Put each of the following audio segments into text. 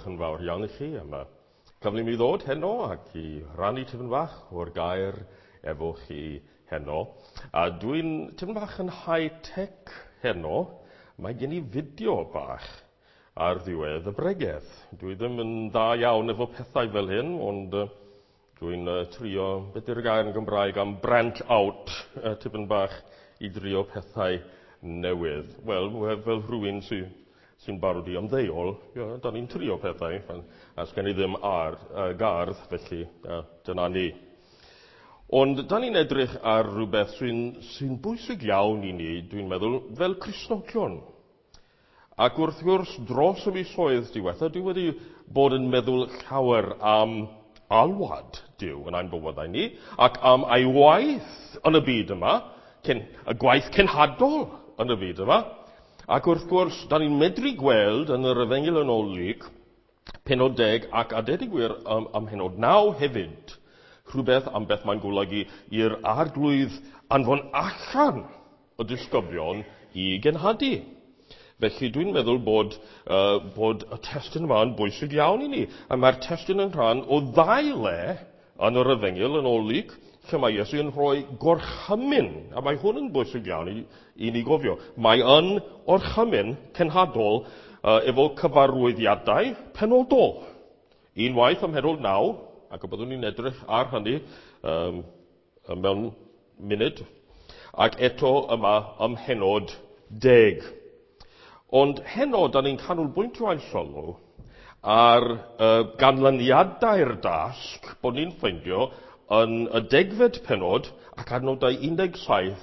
diolch yn fawr iawn i chi am y cyfle i mi ddod heno ac i rannu tipyn bach o'r gair efo chi heno. A dwi'n tipyn bach yn high-tech heno. Mae gen i fideo bach ar ddiwedd y bregeth. Dwi ddim yn dda iawn efo pethau fel hyn, ond dwi'n trio, beth yw'r gair yn Gymraeg am branch out, tipyn bach i drio pethau newydd. Wel, fel rhywun sy'n barod i ymddeol, ia, da ni'n trio pethau, a sgen i ddim ar gardd, felly dyna ni. Ond da ni'n edrych ar rhywbeth sy'n bwysig iawn i ni, dwi'n meddwl, fel Cristnogion. Ac wrth gwrs, dros y misoedd diwetha, dwi wedi bod yn meddwl llawer am alwad Duw yn ein bywydau ni, ac am ei waith yn y byd yma, y gwaith cenhadol yn y byd yma. Ac wrth gwrs, da ni'n medru gweld yn yr Efengyl yn ôl Luc, pennod 10 ac a deud y gwir am pennod 9 hefyd, rhywbeth am beth mae'n golygu i'r Arglwydd anfon allan y disgyblion i genhadu. Felly dwi'n meddwl bod y testun yma yn bwysig iawn i ni. A mae'r testun yn rhan o ddau le yn yr Efengyl yn ôl Luc, lle mae Iesu yn rhoi gorchymyn, a mae hwn yn bwysig iawn i ni gofio. Mae yn orchymyn cenhadol efo cyfarwyddiadau penodol. Unwaith ym mhennod 9, ac y byddwn ni'n edrych ar hynny mewn munud, ac eto yma ym mhennod 10. Ond heno, da ni'n canolbwyntio ein sylw ar ganlyniadau'r dasg bod ni'n ffeindio yn y 10fed pennod ac adnodau 17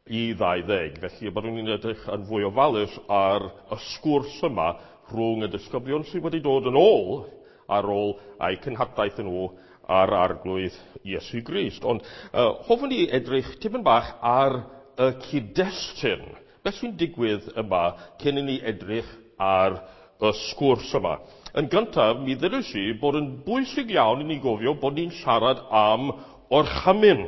i 20. Felly byddwn ni'n edrych yn fwy ofalus ar y sgwrs yma rhwng y disgyblion sydd wedi dod yn ôl ar ôl eu cenhadaeth nhw ar Arglwydd Iesu Grist. Ond hoffwn i edrych tipyn bach ar y cyd-destun. Beth sy'n digwydd yma cyn i ni edrych ar y sgwrs yma? Yn gyntaf, mi ddylais i bod yn bwysig iawn i ni gofio bod ni'n siarad am orchymyn.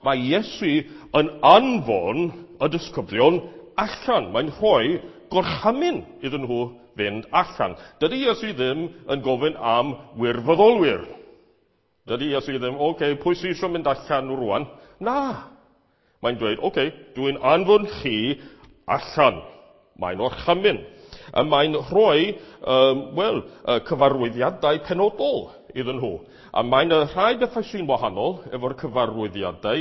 Mae Iesu yn anfon y disgyblion allan. Mae'n rhoi gorchymyn iddyn nhw fynd allan. Dydy Iesu ddim yn gofyn am wirfoddolwyr. Dydy Iesu ddim, okay, pwy sy'n eisiau mynd allan rwan? Na. Mae'n dweud, okay, dwi'n anfon chi allan. Mae'n orchymyn. A mae'n rhoi, cyfarwyddiadau penodol iddyn nhw. A mae'n rhai bethau sy'n wahanol efo'r cyfarwyddiadau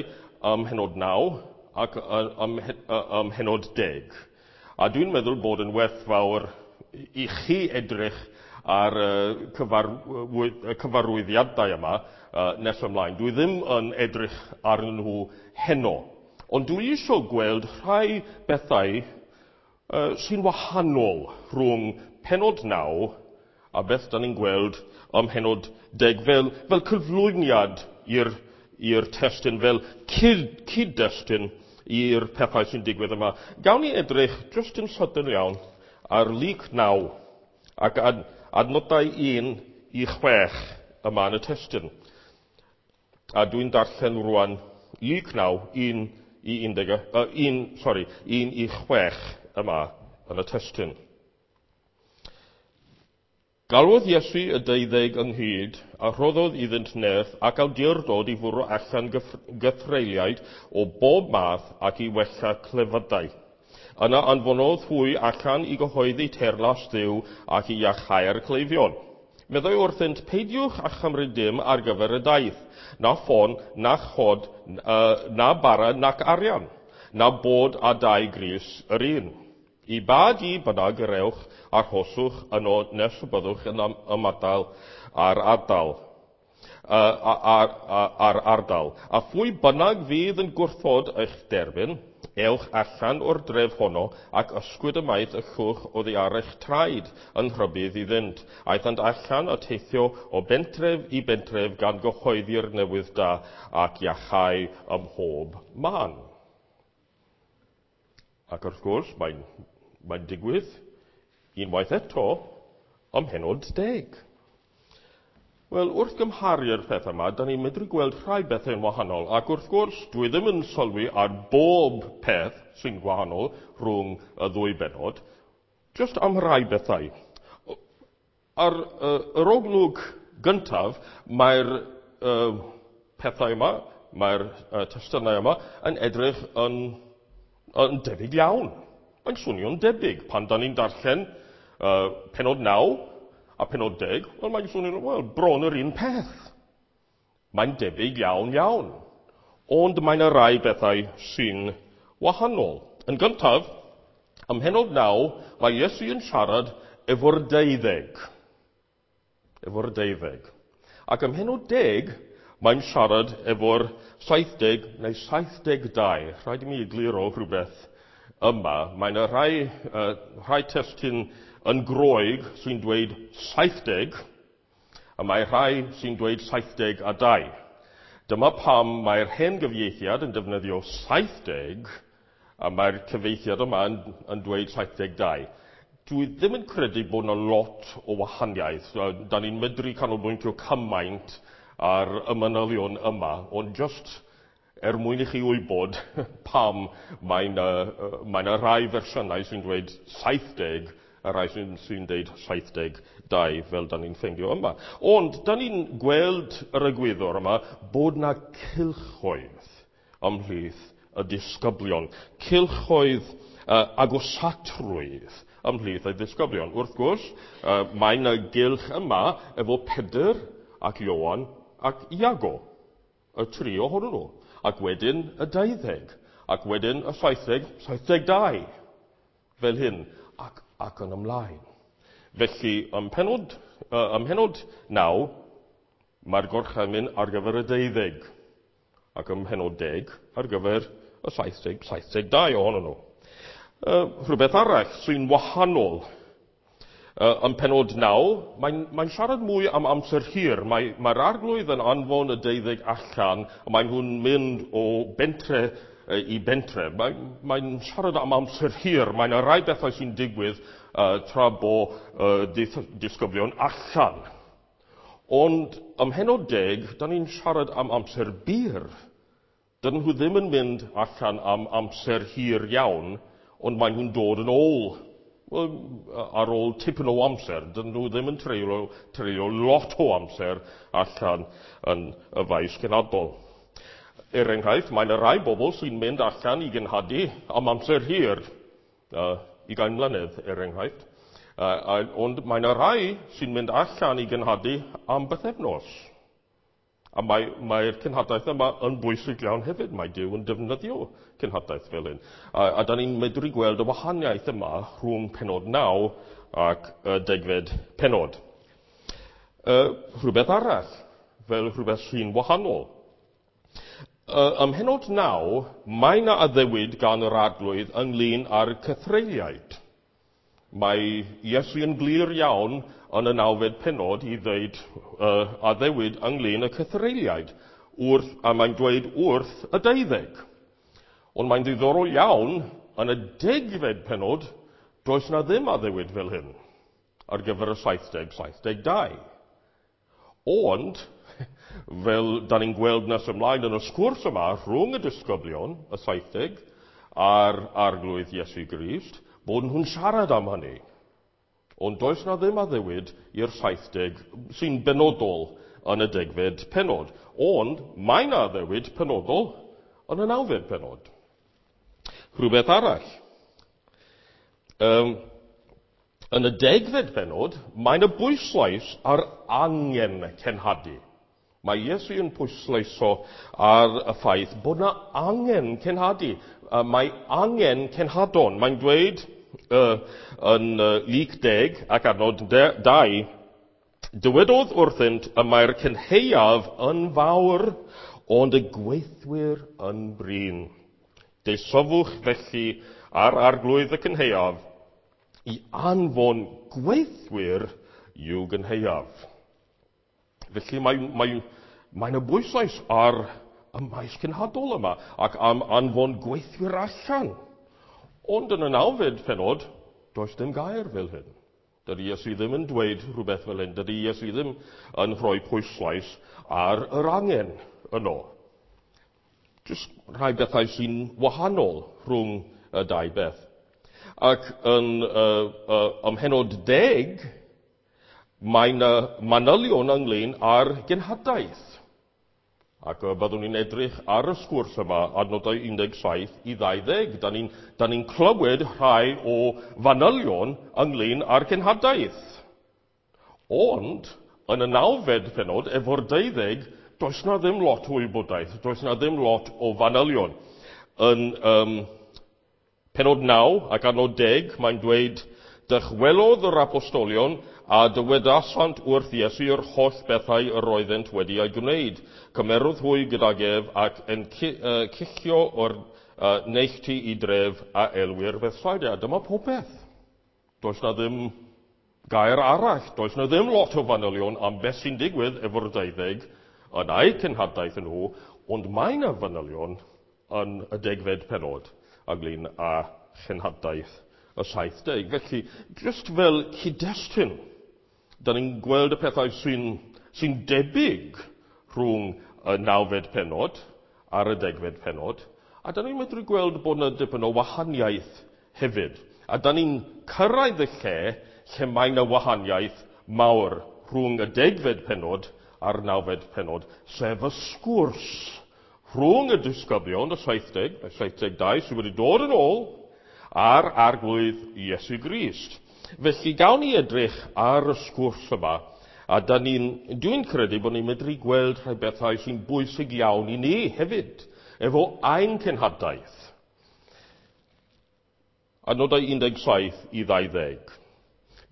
ym mhennod 9 ac ym mhennod 10. A dwi'n meddwl bod yn werthfawr i chi edrych ar y cyfarwyddiadau yma nes ymlaen. Dwi ddim yn edrych arnyn nhw heno. Ond dwi eisiau gweld rhai bethau sy'n wahanol rhwng pennod 9 a beth da ni'n gweld ym mhennod 10 fel cyflwyniad i'r testun, fel cyd-destun i'r pethau sy'n digwydd yma. Gawn ni edrych just yn sydyn iawn ar Luc 9 ac adnodau 1 i 6 yma yn y testun. A dwi'n darllen rwan Luc 9, 1 i 1 i 6 yma yn y testun. Galwodd Iesu y 12 ynghyd a rhoddodd iddynt nerth ac awdurdod i fwrw allan gythreuliaid o bob math ac i wella clefydau. Yna anfonodd hwy allan i gyhoeddi teyrnas Dduw ac i iachau'r cleifion. Meddai wrthynt, peidiwch â chymryd dim ar gyfer y daith, na ffon, na chod, na bara, nac arian, na bod a dau grys yr un. I ba dŷ bynnag yr ewch, arhoswch yno nes y byddwch yn ymadael â'r ardal. A phwy bynnag fydd yn gwrthod eich derbyn, ewch allan o'r dref honno ac ysgwyd ymaith y llwch oddi ar eich traed yn rhybudd iddynt. Aethant allan a teithio o bentref i bentref gan gyhoeddi'r newydd da ac iachau ym mhob man. Ac wrth gwrs, mae'n digwydd unwaith eto ym mhennod 10. Wel, wrth gymharu'r peth yma, da ni'n medru gweld rhai bethau'n wahanol, ac wrth gwrs, dwi ddim yn sylwi ar bob peth sy'n gwahanol rhwng y ddwy bennod, just am rhai bethau. Ar yr olwg gyntaf, mae'r pethau yma, mae'r testunau yma yn edrych yn debyg iawn. Mae'n swnio'n debyg. Pan da ni'n darllen pennod 9 a pennod 10, wel, mae'n swnio'n, wel, bron yr un peth. Mae'n debyg iawn iawn. Ond mae yna rai bethau sy'n wahanol. Yn gyntaf, ym mhennod 9, mae Iesu yn siarad efo'r 12. Efo'r 12. Ac ym mhennod 10, mae'n siarad efo'r 70 neu 72. Rhaid i mi egluro rhywbeth yma. Mae yna rhai testun yn Groeg sy'n dweud 70, a mae rhai sy'n dweud 72. Dyma pam mae'r hen gyfieithiad yn defnyddio 70, a mae'r cyfieithiad yma yn dweud 72. Dwi ddim yn credu bod yna lot o wahaniaeth. Da ni'n medru canolbwyntio cymaint ar y manylion yma, ond just er mwyn i chi wybod pam mae yna rai fersiynau sy'n dweud 70 a rai sy'n dweud 72 fel da ni'n ffeindio yma. Ond da ni'n gweld yr egwyddor yma bod na cylchoedd ymhlith y disgyblion. Cylchoedd agosatrwydd ymhlith y disgyblion. Wrth gwrs, mae yna gylch yma efo Pedr ac Ioan ac Iago, y tri ohonyn nhw. Ac wedyn y 20, ac wedyn y 70, 72, fel hyn, ac yn ymlaen. Felly, ym mhennod 9, mae'r gorchymyn ar gyfer y 12, ac ym mhennod 10 ar gyfer y 70, 72 ohonyn nhw. Rhywbeth arall sy'n wahanol. Ym pennod 9, mae'n siarad mwy am amser hir. Mae'r arglwydd yn anfon y 12 allan, a maen nhw'n mynd o bentre i bentre. Mae'n siarad am amser hir. Mae'n rhai bethau sy'n digwydd tra bo disgyblion allan. Ond ym mhennod 10, da ni'n siarad am amser byr. Dydyn nhw ddim yn mynd allan am amser hir iawn, ond maen nhw'n dod yn ôl. Wel, ar ôl tipyn o amser, dydyn nhw ddim yn treulio lot o amser allan yn y faes cenhadol. Er enghraifft, mae yna rai bobl sy'n mynd allan i genhadu am amser hir, 20 mlynedd er enghraifft. Ond mae yna rai sy'n mynd allan i genhadu am bythefnos. A mae'r cenhadaeth yma yn bwysig iawn hefyd. Mae Duw yn defnyddio cenhadaeth fel hyn. A da ni'n medru gweld y wahaniaeth yma rhwng pennod 9 ac y 10fed pennod. Rhywbeth arall, fel rhywbeth sy'n wahanol. Ym mhennod 9, mae yna addewid gan yr arglwydd ynglyn â'r cythreuliaid. Mae Iesu yn glir iawn yn y 9fed pennod i ddweud addewid ynglyn â cythreuliaid, a mae'n dweud wrth y 12. Ond mae'n ddiddorol iawn, yn y 10fed pennod, does na ddim addewid fel hyn ar gyfer y 70, 72. Ond, fel da ni'n gweld nes ymlaen yn y sgwrs yma rhwng y disgyblion, y 70, a'r arglwydd Iesu Grist, bod nhw'n siarad am hynny. Ond does na ddim addewid i'r 70 sy'n benodol yn y 10fed pennod. Ond mae na addewid penodol yn y 9fed pennod. Rhywbeth arall. Yn y 10fed pennod, mae yna bwyslais ar angen cenhadu. Mae Iesu yn pwysleisio ar y ffaith bod yna angen cenhadu. Mae angen cenhadon. Mae'n dweud yn Luc 10 ac adnod 2, dywedodd wrthynt y mae'r cynhaeaf yn fawr, ond y gweithwyr yn brin. Deisofwch felly ar arglwydd y cynhaeaf i anfon gweithwyr i'w gynhaeaf. Felly mae'n yna bwyslais ar y maes cenhadol yma ac am anfon gweithwyr allan. Ond yn y 9fed pennod, does dim gair fel hyn. Dydy Iesu ddim yn dweud rhywbeth fel hyn. Dydy Iesu ddim yn rhoi pwyslais ar yr angen yno. Jyst rhai bethau sy'n wahanol rhwng y dau beth. Ac yn ym mhennod 10, Mae yna manylion ynglyn â'r genhadaeth. Ac byddwn ni'n edrych ar y sgwrs yma, adnodau 17 i 20. Da ni'n ni clywed rhai o fanylion ynglyn â'r genhadaeth. Ond, yn y nawfed penod, efo'r 12, does na ddim lot o wybodaeth, does na ddim lot o fanylion. Yn penod 9 ac adnod 10, mae'n dweud, dychwelodd yr apostolion a dywedasant wrth Iesu yr holl bethau yr oeddent wedi ei gwneud. Cymerodd hwy gydag ef ac yn cicio o'r neilltu i dref a elwir Bethsaida. Dyma popeth. Does na ddim gair arall. Does na ddim lot o fanylion am beth sy'n digwydd efo'r 12 yn eu cenhadaeth nhw, ond mae yna fanylion yn y degfed penod ynglyn â chenhadaeth y 70. Felly, jyst fel cyd-destun, da ni'n gweld y pethau sy'n sy debyg rhwng y nawfed penod a'r y degfed penod, a da ni'n medru gweld bod yna dipyn o wahaniaeth hefyd. A da ni'n cyrraedd y lle lle mae yna wahaniaeth mawr rhwng y degfed penod a'r nawfed penod, sef y sgwrs rhwng y disgyblion, y 70, y 72 sydd wedi dod yn ôl, a'r arglwydd Iesu Grist. Felly gawn ni edrych ar y sgwrs yma, a da ni'n, dwi'n credu bod ni'n medru gweld rhai bethau sy'n bwysig iawn i ni hefyd, efo ein cenhadaeth. Adnodau 17 i 20.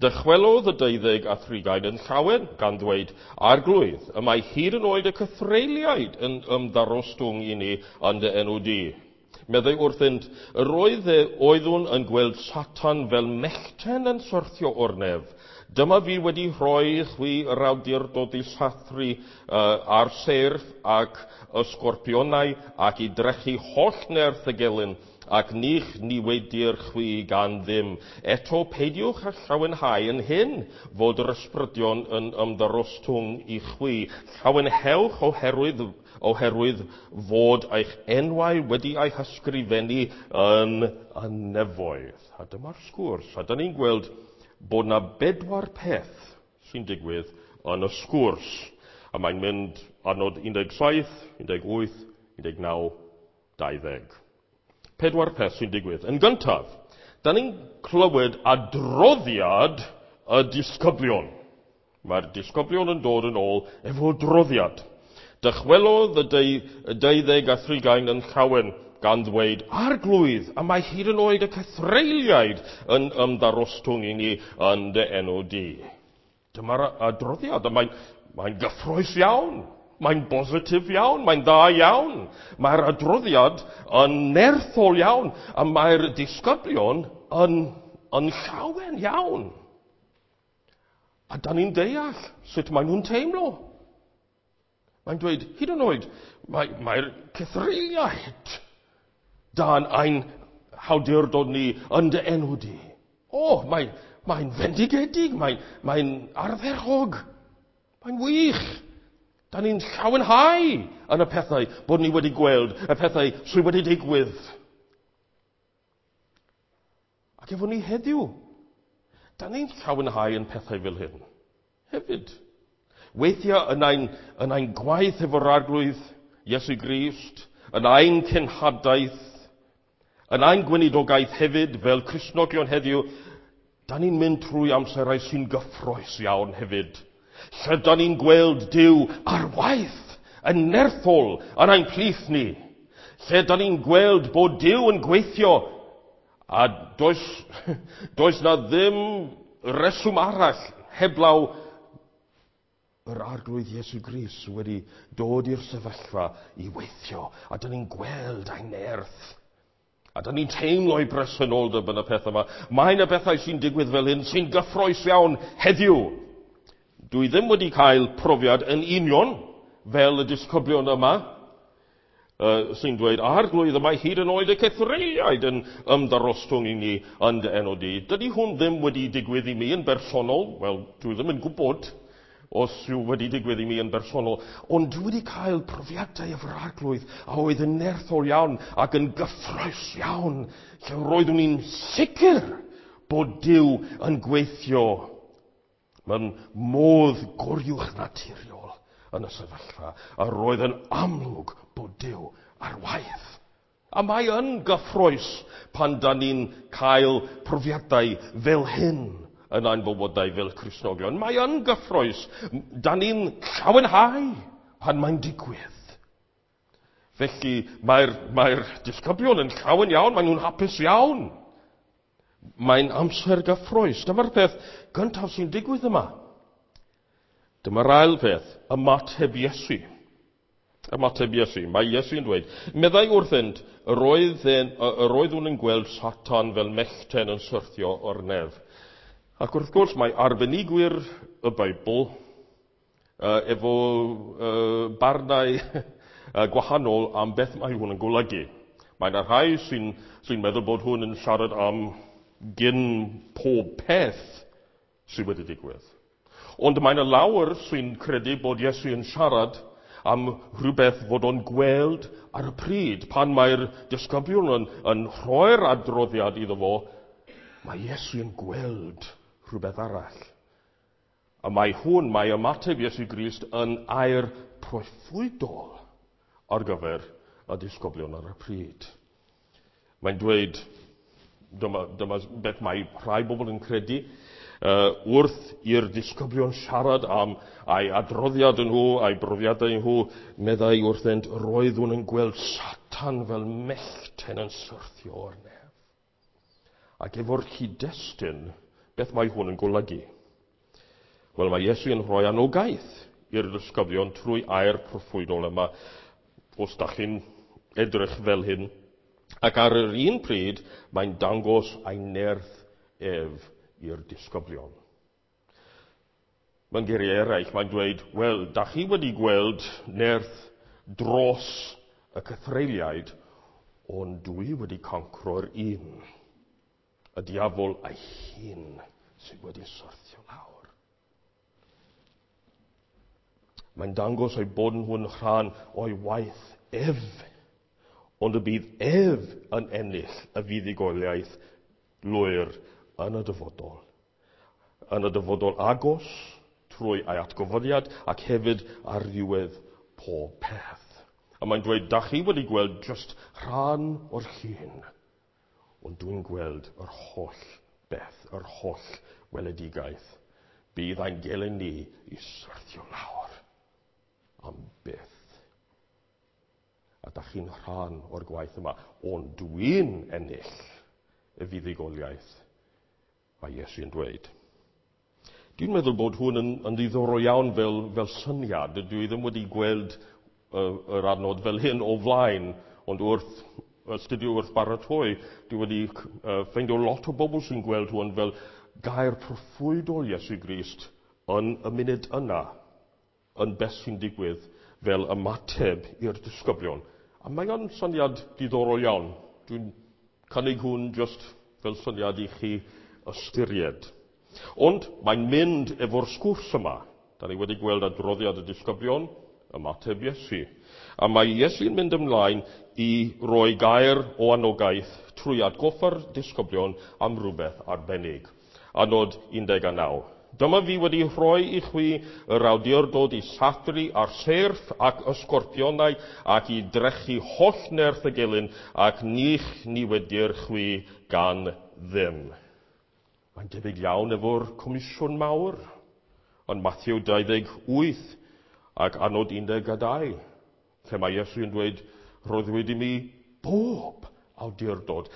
Dychwelodd y 12 a thrigain yn llawen, gan ddweud, Arglwydd, y mae hyd yn oed y cythreuliaid yn ymddarostwng i ni yn dy enw di. Meddai wrthynt, yr oedd oeddwn yn gweld Satan fel mellten yn syrthio o'r nef. Dyma fi wedi rhoi chwi yr awdurdod i sathru ar seirff ac y sgorpionau ac i drechu holl nerth y gelyn ac nich niweidir chwi gan ddim. Eto peidiwch â llawenhau yn hyn fod yr ysbrydion yn ymddarostwng i chwi. Llawenhewch oherwydd, oherwydd fod eich enwau wedi eu hysgrifennu yn y nefoedd. A dyma'r sgwrs. A dyna ni'n gweld bod na bedwar peth sy'n digwydd yn y sgwrs. A mae'n mynd adnod 17, 18, 19, 20. Pedwar peth sy'n digwydd. Yn gyntaf, da ni'n clywed adroddiad y disgyblion. Mae'r disgyblion yn dod yn ôl efo adroddiad. Dychwelodd y 12 a thrigain yn llawen gan ddweud, Arglwydd, a mae hyd yn oed y cythreuliaid yn ymddarostwng i ni yn dy enw di. Dyma'r adroddiad, a mae'n mae gyffrous iawn. Mae'n bositif iawn, mae'n dda iawn. Mae'r adroddiad yn nerthol iawn, a mae'r disgyblion yn, yn llawen iawn. A da ni'n deall sut maen nhw'n teimlo. Mae'n dweud, hyd yn oed, mae'r mae cythreuliaid dan ein hawdurdod ni yn dy enw di. O, mae'n mae fendigedig, mae'n mae ardderchog, mae'n wych. Da ni'n llawenhau yn y pethau bod ni wedi gweld, y pethau sydd wedi digwydd. Ac efo ni heddiw, da ni'n llawenhau yn pethau fel hyn. Hefyd. Weithiau yn ein, yn ein gwaith efo'r arglwydd Iesu Grist, yn ein cenhadaeth, yn ein gweinidogaeth hefyd fel Cristnogion heddiw, da ni'n mynd trwy amserau sy'n gyffrous iawn hefyd. Lle da ni'n gweld Duw ar waith yn nerthol yn ein plith ni. Lle da ni'n gweld bod Duw yn gweithio a does, does na ddim reswm arall heblaw yr arglwydd Iesu Grist wedi dod i'r sefyllfa i weithio. A da ni'n gweld ei nerth. A da ni'n teimlo ei bresenoldeb yn y peth yma. Mae yna bethau sy'n digwydd fel hyn sy'n gyffrous iawn heddiw. Dwi ddim wedi cael profiad yn union fel y disgyblion yma, sy'n dweud, arglwydd, y mae hyd yn oed y cythreuliaid yn ymddarostwng i ni yn dy enw di. Dydy hwn ddim wedi digwydd i mi yn bersonol. Wel, dwi ddim yn gwybod os yw wedi digwydd i mi yn bersonol. Ond dwi wedi cael profiadau efo'r arglwydd a oedd yn nerthol iawn ac yn gyffrous iawn, lle roeddwn i'n sicr bod Duw yn gweithio. Mae'n modd goriwch naturiol yn y sefyllfa, a roedd yn amlwg bod Duw ar waith. A mae yn gyffroes pan da ni'n cael profiadau fel hyn yn ein bywydau fel Cristnogion. Mae yn gyffroes. Da ni'n llawenhau pan mae'n digwydd. Felly mae'r mae disgyblion yn llawen iawn, maen nhw'n hapus iawn. Mae'n amser gyffroes. Dyma'r peth gyntaf sy'n digwydd yma. Dyma'r ail peth, ymateb Iesu. Ymateb Iesu. Mae Iesu'n dweud, meddai wrthynt, yr oeddwn yn gweld Satan fel mellten yn syrthio o'r nef. Ac wrth gwrs mae arbenigwyr y Beibl efo barnau gwahanol am beth mae hwn yn golygu. Mae yna rhai sy'n sy meddwl bod hwn yn siarad am gyn pob peth sydd wedi digwydd. Ond mae yna lawer sy'n credu bod Iesu yn siarad am rhywbeth fod o'n gweld ar y pryd. Pan mae'r disgyblion yn rhoi'r adroddiad iddo fo, mae Iesu yn gweld rhywbeth arall. A mae hwn, mae ymateb Iesu Grist yn air proffwydol ar gyfer y disgyblion ar y pryd. Mae'n dweud, dyma beth mae rhai bobl yn credu, wrth i'r disgyblion siarad am ei adroddiad nhw, ei brofiadau nhw, meddai wrthynt, roeddwn yn gweld Satan fel mellten yn syrthio o'r nef. Ac efo'r cyd-destun, beth mae hwn yn golygu? Wel, mae Iesu yn rhoi anogaeth i'r disgyblion trwy air proffwydol yma, os da chi'n edrych fel hyn. Ac ar yr un pryd, mae'n dangos ei nerth ef i'r disgyblion. Mewn geiriau eraill, mae'n dweud, wel, da chi wedi gweld nerth dros y cythreuliaid, ond dwi wedi concro'r un. Y diafol ei hun sydd wedi syrthio lawr. Mae'n dangos eu bod nhw'n rhan o'i waith ef, ond y bydd ef yn ennill y fuddugoliaeth lwyr yn y dyfodol. Yn y dyfodol agos, trwy ei atgyfodiad, ac hefyd ar ddiwedd pob peth. A mae'n dweud, da chi wedi gweld just rhan o'r llun, ond dwi'n gweld yr holl beth, yr holl weledigaeth. Bydd ein gelyn ni i syrthio lawr am byth. A da chi'n rhan o'r gwaith yma, ond dwi'n ennill y fuddugoliaeth, mae Iesu yn dweud. Dwi'n meddwl bod hwn yn ddiddorol iawn fel syniad. Dwi ddim wedi gweld yr adnod fel hyn o flaen, ond wrth astudio wrth baratoi, dwi wedi ffeindio lot o bobl sy'n gweld hwn fel gair proffwydol Iesu Grist yn y munud yna, yn beth sy'n digwydd fel ymateb i'r disgyblion. A mae o'n syniad diddorol iawn. Dwi'n cynnig hwn just fel syniad i chi ystyried. Ond mae'n mynd efo'r sgwrs yma. Da ni wedi gweld adroddiad y disgyblion, ymateb Iesu. A mae Iesu'n mynd ymlaen i roi gair o anogaeth trwy atgoffa'r disgyblion am rhywbeth arbennig. Adnod 19. Dyma fi wedi rhoi i chwi yr awdurdod i sathru ar seirff ac ysgorpionau ac i drechu holl nerth y gelyn ac nich niwedir chwi gan ddim. Mae'n debyg iawn efo'r comisiwn mawr yn Matthew 28 ac adnod 12, lle mae Iesu yn dweud, roddwyd i mi bob awdurdod.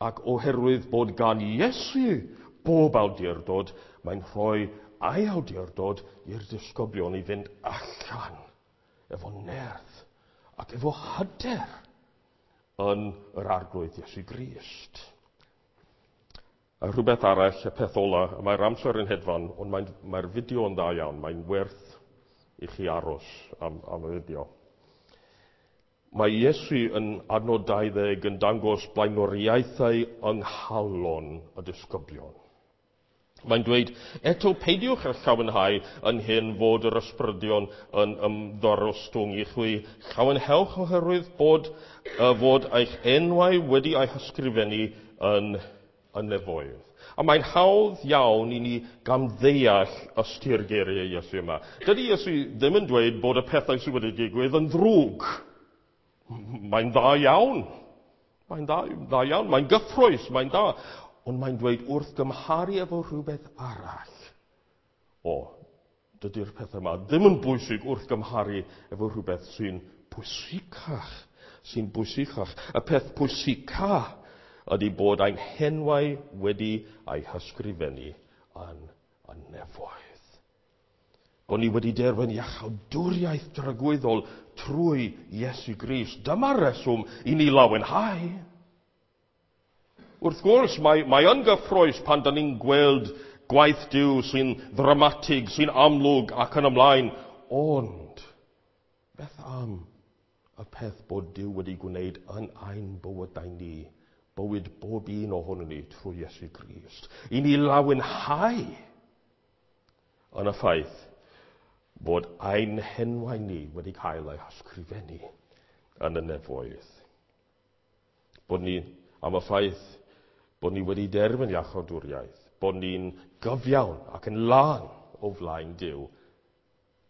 Ac oherwydd bod gan Iesu bob awdurdod, mae'n rhoi ei awdurdod i'r disgyblion i fynd allan efo nerth ac efo hyder yn yr Arglwydd Iesu Grist. A rhywbeth arall, y peth ola, mae'r amser yn hedfan, ond mae'r fideo yn dda iawn, mae'n werth i chi aros am y fideo. Mae Iesu yn adnod 20 yn dangos blaenoriaethau yng nghalon y disgyblion. Mae'n dweud, eto peidiwch â llawenhau yn hyn fod yr ysbrydion yn ymddorostwng i chwi. Llawenhewch oherwydd bod fod eich enwau wedi eu hysgrifennu yn y nefoedd. A mae'n hawdd iawn i ni gamddeall ystyr geiriau Iesu yma. Dydy Iesu ddim yn dweud bod y pethau sydd wedi digwydd yn ddrwg. Mae'n dda iawn. Mae'n dda, dda iawn. Mae'n gyffrous. Mae'n dda. Ond mae'n dweud wrth gymharu efo rhywbeth arall. O, dydy'r pethau yma ddim yn bwysig wrth gymharu efo rhywbeth sy'n bwysicach. Sy'n bwysicach. Y peth pwysica ydy bod ein henwau wedi eu hysgrifennu yn y nefoedd. Bod ni wedi derbyn iachawdwriaeth dragwyddol trwy Iesu Grist. Dyma reswm i ni lawenhau. Wrth gwrs, mae yn gyffrous pan da ni'n gweld gwaith Duw sy'n ddramatig, sy'n amlwg ac yn ymlaen. Ond, beth am y peth bod Duw wedi gwneud yn ein bywydau ni, bywyd bob un ohonon ni trwy Iesu Grist? I ni lawenhau yn y ffaith bod ein henwau ni wedi cael eu hysgrifennu yn y nefoedd. Bod ni, am y ffaith bod ni wedi derbyn iachawdwriaeth, bod ni'n gyfiawn ac yn lân o flaen Duw,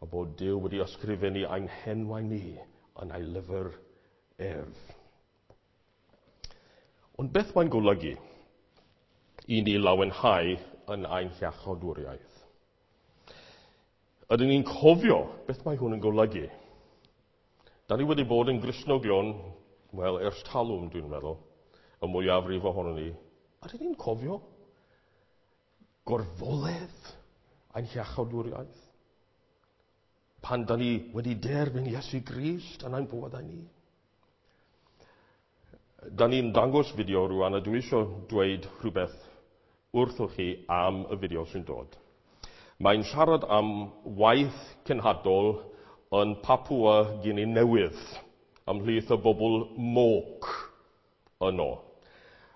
a bod Duw wedi ysgrifennu ein henwau ni yn ei lyfr ef. Ond beth mae'n golygu i ni lawenhau yn ein hiachawdwriaeth? Ydyn ni'n cofio beth mae hwn yn golygu? Da ni wedi bod yn Gristnogion, wel, ers talwm, dwi'n meddwl, y mwyafrif ohonon ni. Ydyn ni'n cofio gorfoledd ein hiachawdwriaeth? Pan da ni wedi derbyn Iesu Grist yn ein bywydau ni? Da ni'n dangos fideo rwan, a dwi eisiau dweud rhywbeth wrthoch chi am y fideo sy'n dod. Mae'n siarad am waith cenhadol yn Papua Guinea Newydd, ymhlith y bobl Moc yno.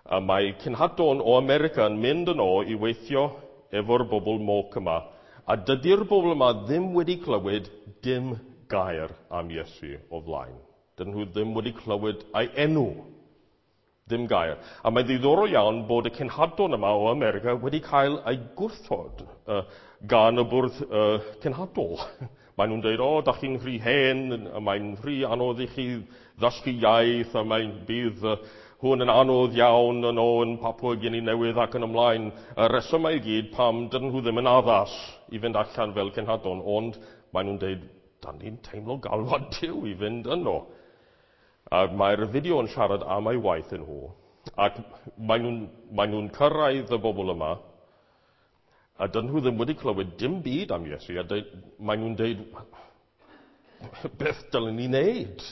A mae cenhadon o America yn mynd yno i weithio efo'r bobl Moc yma, a dydy'r bobl yma ddim wedi clywed dim gair am Iesu o flaen. Dydyn nhw ddim wedi clywed ei enw. Dim gair. A mae'n ddiddorol iawn bod y cenhadon yma o America wedi cael ei gwrthod gan y bwrdd cenhadol. Maen nhw'n dweud, o, da chi'n rhy hen, a mae'n rhy anodd i chi ddysgu iaith, a mae'n bydd hwn yn anodd iawn yn o yn Papua Guinea Newydd ac yn ymlaen. Y resymau i gyd pam dydyn nhw ddim yn addas i fynd allan fel cenhadon, ond maen nhw'n dweud, da ni'n teimlo galwad Duw i fynd yno. A mae'r fideo yn siarad am ei waith yn nhw, ac maen nhw'n cyrraedd y bobl yma, a dyn nhw ddim wedi clywed dim byd am Iesu, a maen nhw'n dweud, beth dylen ni wneud?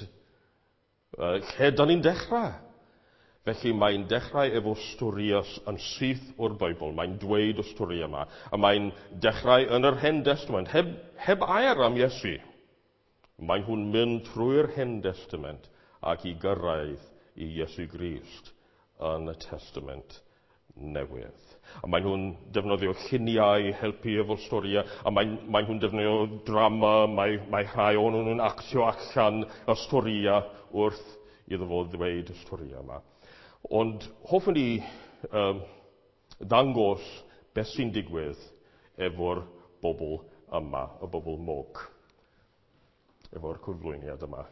Lle dyn ni'n dechrau? Felly mae'n dechrau efo storïau yn syth o'r Beibl. Mae'n dweud y stori yma. A mae'n dechrau yn yr Hen Testament, heb air am Iesu. Mae nhw'n mynd trwy'r Hen Testament ac i gyrraedd i Iesu Grist yn y Testament Newydd. A maen nhw'n defnyddio lluniau i helpu efo'r storïau, a maen nhw'n defnyddio drama, mae rhai o'n nhw'n actio allan y storïau wrth iddo fo ddweud y storïau yma. Ond hoffwn i ddangos beth sy'n digwydd efo'r bobl yma, y bobl Moc, efo'r cyflwyniad yma.